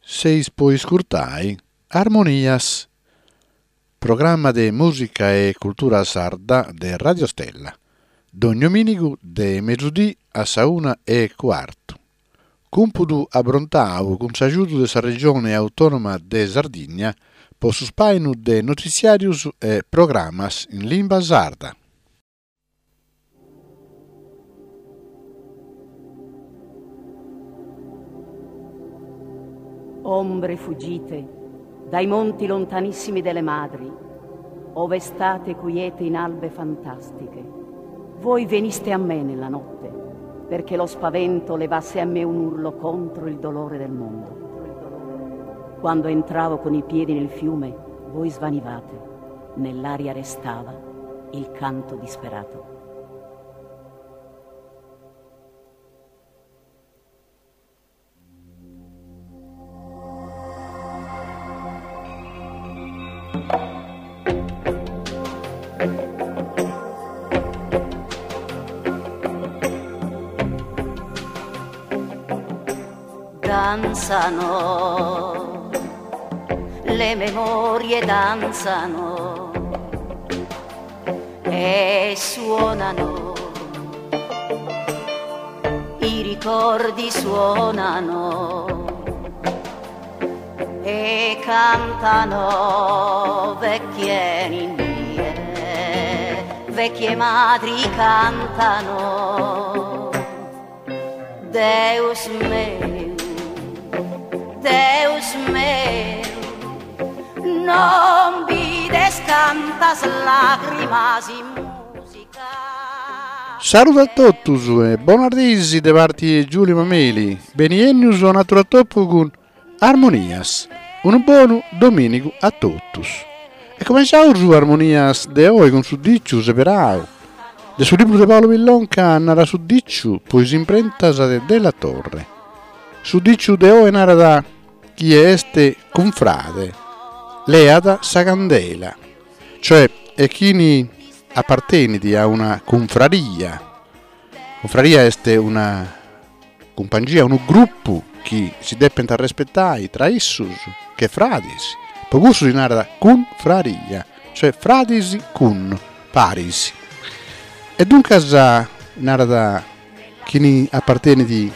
Seis po iscurtai Armonias, programma de mùsica e cultura sarda de Radio Stella, dogni domìnigu de mesudì a sa una e cuartu. Cumpudu abrontau cun s'agiudu de sa Regione Autònoma de Sardigna po su spàinu de notitziàrius e programas in limba sarda. Ombre fuggite dai monti lontanissimi delle madri, ove state quiete in albe fantastiche. Voi veniste a me nella notte, perché lo spavento levasse a me un urlo contro il dolore del mondo. Quando entravo con i piedi nel fiume, voi svanivate, nell'aria restava il canto disperato. Danzano, le memorie danzano e suonano, i ricordi suonano e cantano vecchie ninnie, vecchie madri cantano. Deus meu, Deus meu, non bides cantas lagrimas in musica. Saludu a totus e bonas diis de parti 'e Giulio Mameli, beni 'ennius a un'atru atopu cun Armonias, unu bonu domìnigu a totus. E cumentzaus Armonias de oi cun su dìciu seberau de su libru de Paolo Pillonca Nara su dìciu po is imprentas de Della Torre. Su dìciu de oi narat chie est cunfrade leat sa candela, cioè e chini apartenit a una cunfraria. Cunfraria est una cumpangia, unu grupu chi si depent arrespetai tra issus che fradis, po cussu si narat cunfraria, cioè fradis cun, paris. E duncas narat chini apartenit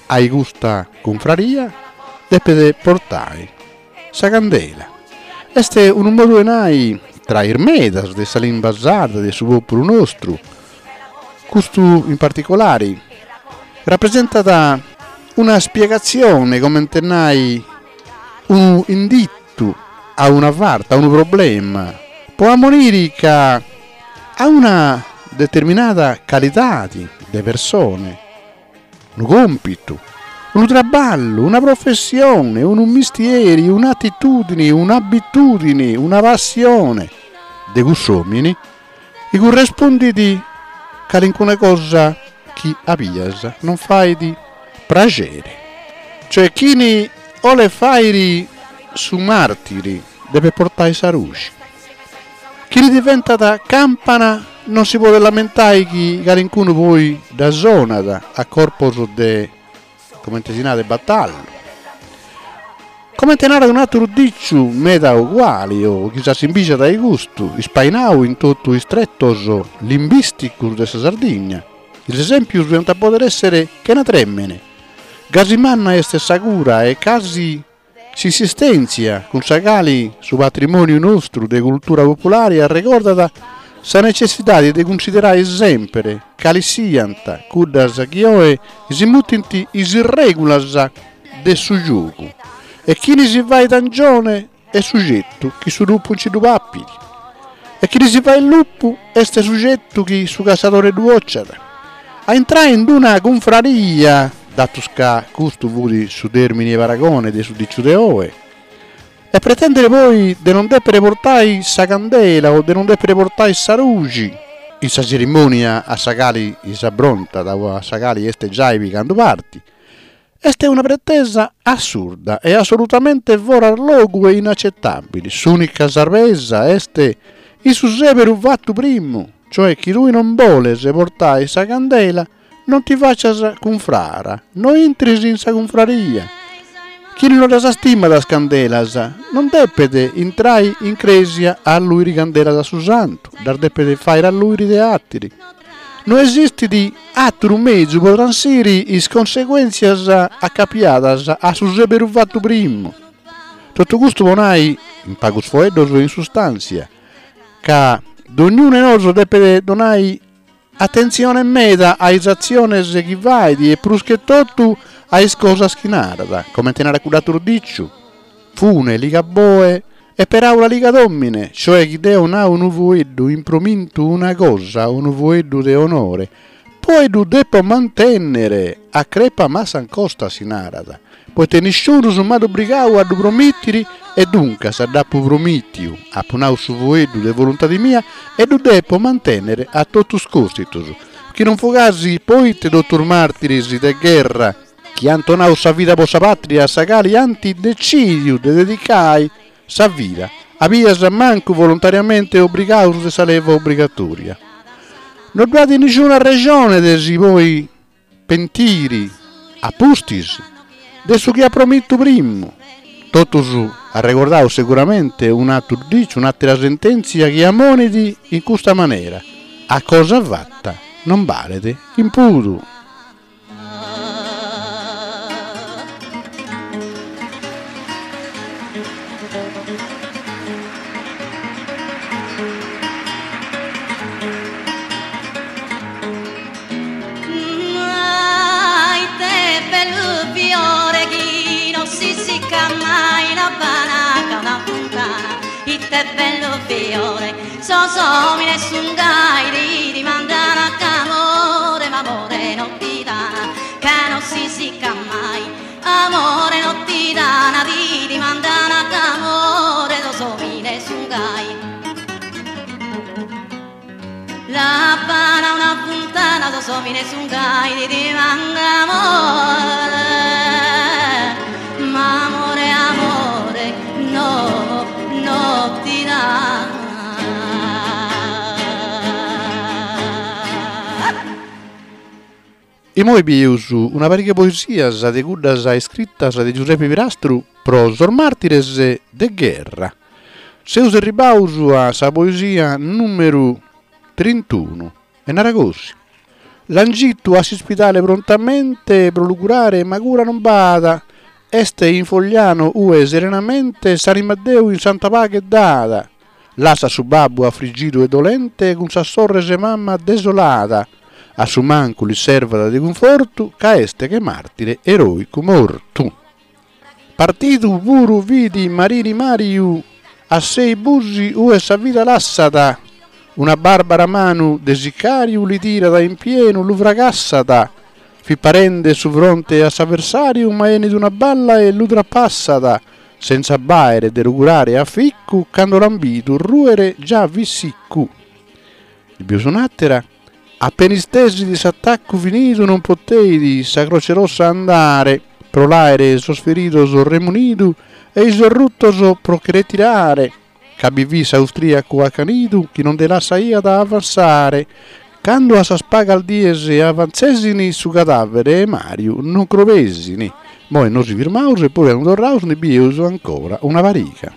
a custa cunfraria depet portai sa candela. Est unu modu 'e nai tra is medas de sa limba sarda de su pòpulu nostru, custu in particolari rapresentat una spiegatzione, comente nai unu inditu a una farta, a unu problema, po ammoniri ca a una determinada calidadi de persone unu còmpitu, unu traballu, una professione, unu mistieri, un'atitùdini, un'abitùdini, una passione de cuss'òmini chi currespundit calincuna cosa chi a bias non fait praxeri. Cioè chini 'olet fàiri su màrtiri depet portai sa ruxi. Chini diventat campana non si podet lamentai chi calincunu poi dda sonat a corpos de, comente si narat, batallu. Comente narat un'àteru dìciu meda uguali o chi s'assimbìgiat a custu, ispainau in totu is tretos limbìsticos de sa Sardigna, is esèmpios diant pòdere èssere chena trèmene, gasi manna est sa cura e casi S'insistèntzia cun sa cali su patrimòniu nostru de cultura populare arregordat sa netzessidade de cunsiderare semper cales siant cuddas chi oe si mutint is règulas de su giogu e chini si fait angione est sugetu chi su lupu nci ddu papit e chini si fait lupu est sugetu chi su cassadore ddu 'ociat. A intrai in d-una cunfraria, datus ca custu fut su tèrmini 'e paragone de su dìciu de oe, e pretèndere poi de non dèpere portai sa candela o de non dèpere portai sa ruxi in sa tzerimònia a sa cali s'abrontat o a sa cali est giai pigandu parti, est una pretesa assurda e assolutamente foras logu e inaccettabili. S'ùnica sarvesa est in su sèberu fatu primu, cioè chi tui non boles portai sa candela non ti facias cunfrara, no intris in sa cunfraria. Chini no ddas stimat is candelas non depet intrai in crèsia a alluiri candelas a su santu, ddas depet fàiri alluiri de àtiri. No esistit àteru mezu po transiri is conseguèntzias acapiadas a su sèberu fatu primu. Totu custu po nai, in pagus foeddos e in sustàntzia, ca dognunu 'e nosu depet donai Atentzione meda a is atziones chi fait e prus che totu a is cosas chi narat, comente narat cudd'àteru dìciu, Fune ligat boe e peràula ligat òmine, cioè chi deo nau unu foeddu impromintu una cosa, unu foeddu de onore, poi ddu depo mantènnere, a crepa massa ancosta si narat. Poite nisciunus m'at obrigau a ddu promìtiri e duncas dd'apu promìtiu, apu nau su fueddu de voluntadi mia e ddu depo mantènnere a totus còstitus, chi non fut gasi poite totus màrtiris de gherra chi ant donau sa vida po sa pàtria a sa cali ant decìdiu de dedicai sa vida, a bias mancu volontariamente obrigaus de sa leva obrigatòria. No ddu at nisciuna rexone de si poi pentiri a pustis de su chi at promitu primu. Totus arregordaus seguramente un'aturu diciu, un'atera sentèntzia chi amonit in custa manera, a cosa fata non balet impudu. Ite bellu fiore chi non si siccat mai la Habana una funtana ite bellu fiore sos omines sun gai ti dimandana amore ma amore non ti dana ca non si siccat mai amore non ti dana ti dimandana amore sos omines sun gai La Habana una funtana sos omines sun gai ti dimanda amore ma amore amore no no ti dana. Imoi bieus una pariga 'e poesias de cuddas iscritas de Giuseppe Pirastru pro sos màrtires de gherra. Seus erribaus a sa poesia nùmeru trintunu e narat gosi, L'an gitu a s'ispidale prontamente pro lu curare ma cura non b'at, est in Fogliano ue serenamente s'anima a Deu in santa paghe dat. Lassat su babbu afrigidu e dolente cun sas sorres e mama desolada, a su mancu lis servat de cunfortu ca est che martire eroicu mortu. Partidu puru fit Marini Mariu a sei busi ue sa vida lassat, una barbara manu de sicariu li tirat in pienu lu fracassat, fit parende su fronte a s'avversariu ma enit una balla e lu trapassat, Senza b'àere de lu curare aficu, cando l'an bidu rùere già fit siccu. Ndi bieus un'àtera, Appena istesit s'attaccu finidu non poteit sa Croce Rossa andare pro l'àere sos feridos remunidu e i sos ruttos pro che retirare, ca bi fit s'austriacu accanidu chi non nde lassaiat avanzare, Cando a sas pagas dies avanzesini su cadavere 'e Mariu non crobesini. Moi nosi firmaus e poi candu torraus ndi bieus ancora una pariga.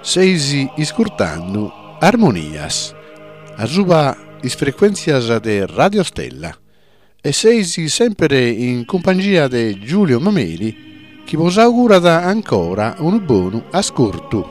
Seis iscurtando Armonias asuba is frecuèntzias de Radio Stella e seis semper in cumpangia de Giulio Mameli chi bos augurat ancora unu bonu ascurtu.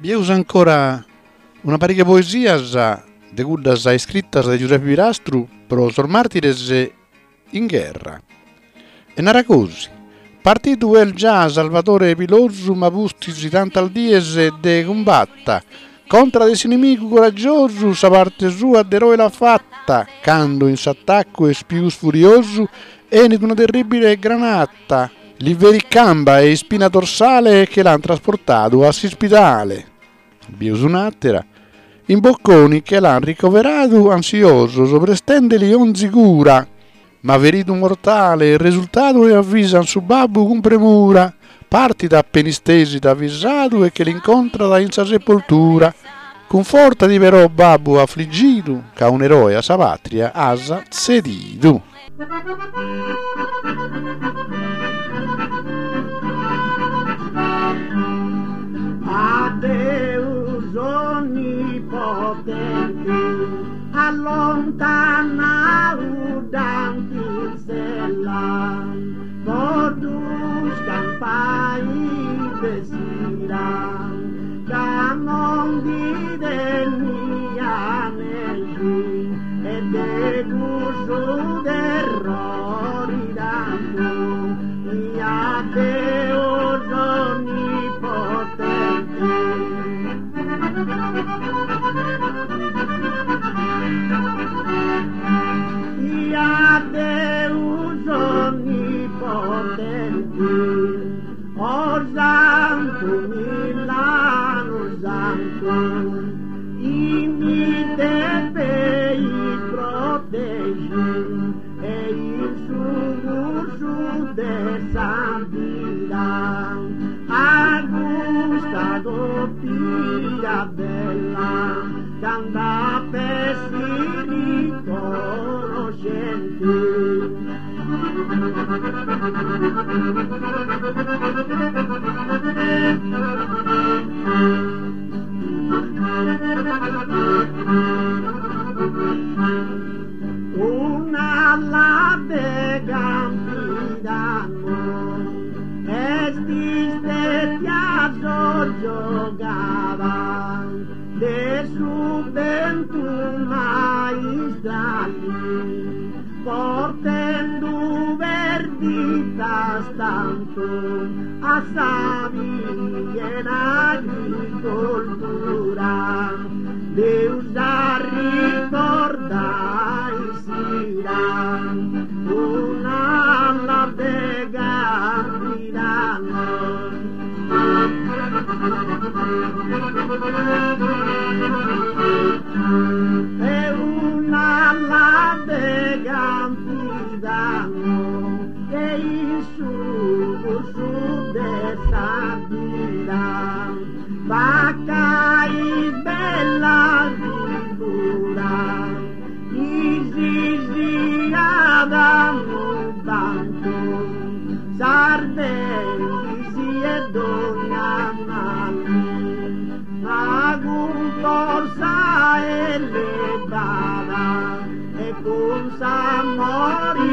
Bieus ancora una pariga 'e poesias de cuddas iscritas de Giuseppe Pirastru pro sos màrtires in gherra. E narat gosi, Partidu est già Salvatore Pilosu ma pustis tantas dies de cumbatta contra de s'inimigu coraggiosu sa parte sua d'eroe l'at fatta cando in s'attaccu est pius furiosu 'enit una terribile granata Li ferit camba e ispina dorsale e che l'an trasportadu a s'ispidale. Bieus un'àtera. In Bocconi che l'an ricoveradu ansiosos prestendeli onzi cura. Ma feridu mortale est resultadu e avvisan su babbu cun premura. Partit appen'istesit avvisadu e che l'incontrat in sa sepoltura. Cunfortati però babbu affligidu ca un'eroe a sa patria as tzedidu. A Deus onnipotenti allontanau dd'ant in sella po ddu scampai de s'ira ca non ndi teniat nexi E de cussu terrori tantu I a Deus onnipotenti. I a Deus onnipotenti, o Santu Millanu Santu. I mi depeis protegi e in su cursu de sa vida a custa copia bella cand'ap'essi riconoscenti. Un'ala de Campidanu est istetia soggiogada de su bentu maistrali portendu perditas tantu a sa piena agricoltura Deus arricordai s'ira un'ala de Campidanu E un'ala de Campidanu che in su Salvendi-si 'e dogna mali, ma cun forza elevada e cun s'amori.